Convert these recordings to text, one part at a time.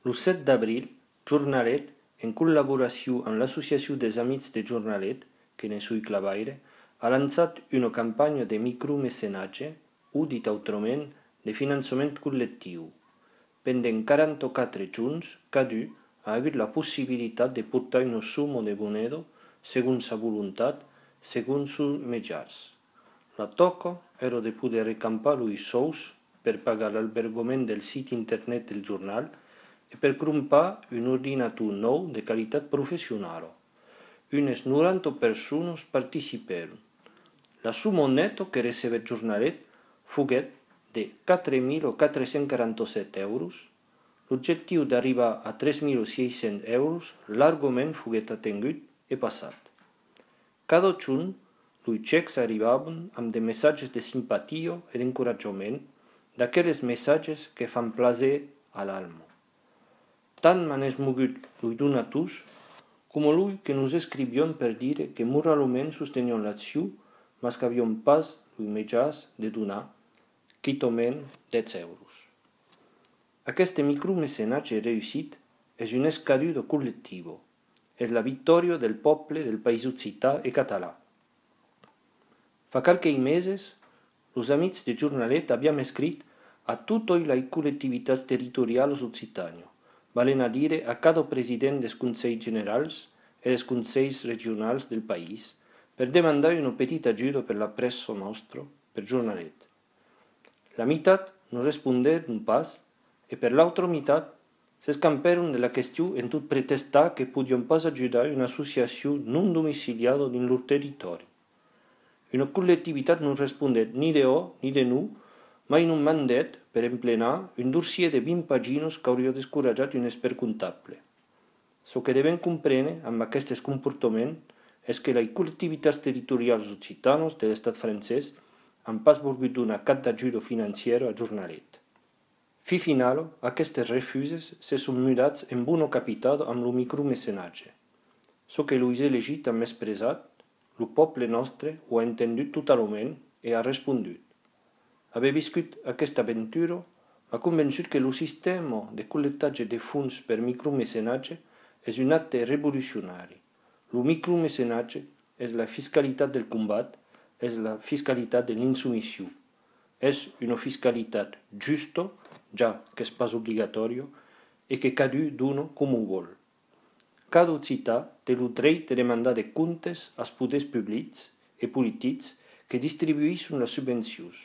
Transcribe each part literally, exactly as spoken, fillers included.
El set d'abril, Jornalet, en col·laboració amb l'Associació dels Amics de Jornalet, que ne sui clavaire, ha lançat una campanya de micromecenatge, o dit autrament, de finançament col·lectiu. Pendent quaranta-quatre junts, cada ha hagut la possibilitat de portar una suma de moneda, segons sa voluntat, segons sus mitjans. La toca era de poder recampar els sous per pagar l'albergament del sit internet del jornal e per comprar un ordinator nou de qualitat professional. Unes noranta persones participaron. La suma neta que recebet Jornalet foguet de quatre mil quatre-cents quaranta-set euros. L'objectiu d'arribar a tres mil sis-cents euros largament foguet atingut e passat. Cada junt, els xecs arribaven amb de missatges de simpatia e d'encoratjament, d'aquells missatges que fan plaer a l'alma. Tant m'han esmogut els donators, com els que nos escrivion per dir que moralment sostenion l'acció, mas que havion pas els mitjans de donar, quitament deu euros. Aquest micromecenatge reussit és un escadudo col·lectiu, és la victòria del poble del país occità i català. Fa qualques mesos, els amics de Jornalet havíem escrit a totes les col·lectivitats territorials occitanes, valen a dir a cada president dels Consells Generals i dels Consells Regionals del país, per demandar una petita ajuda per la pressa nostra, per Jornalet. La meitat no responderon pas e per l'altra meitat s'escamperon de la qüestió en tot pretestar que podien pas ajudar una associació non domiciliada dins leur territori. Una col·lectivitat no respondet ni de o ni de no, mai non mandat per emplenar un dossier de vint pàgines que hauria descoratjat un expert comptable. Ce que devem comprendre amb aquests comportaments és que les col·lectivitats territorials occitanes de l'estat francès han pas volgut donar cap d'ajuda financera a Jornalet. Fi final, aquestes refuses se són mudats en bona capital amb el micromecenatge. Ce que els elegit han expressat, el poble nostre ho ha entendut totalment i ha respondut. Haver viscut aquesta aventura m'ha convençut que el sistema de col·lectatge de fons per micromecenatge és un acte revolucionari. El micromecenatge és la fiscalitat del combat, és la fiscalitat de l'insubmissió. És una fiscalitat justa, ja que és pas obligatòria, i que cada dona com ho vol. Cada occità té el dret de demandar de comptes als poders públics i polítics que distribueixen les subvencions.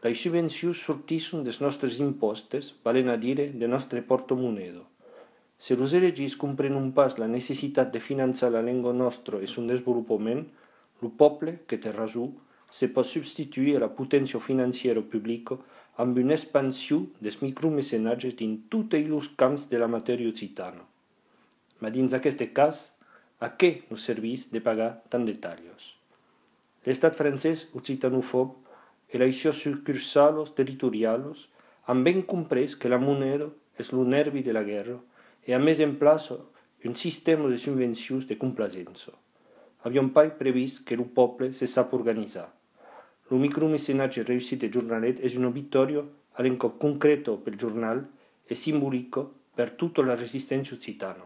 Les subvencions sorteixen dels nostres impostos, valen a dir de nostre portamoneda. Si els elegits comprenen pas la necessitat de finançar la llengua nostra i son desenvolupament, el poble, que té raó, se pot substituir a la potència financera pública amb una expansió dels micromecenatges dins tots els camps de la matèria occitana. Ma dins aquest cas, a què nos serveix de pagar tant de tallos? L'estat francès occitanòfob i les seves sucursals territorials han ben comprès que la moneda és el nervi de la guerra i a més en plaça un sistema de subvencions de complacença. Havíem pas previst que el poble se sap organitzar. El micromecenatge reussit de Jornalet és una victòria a l'encop concreta pel jornal i simbòlica per tota la resistència occitana.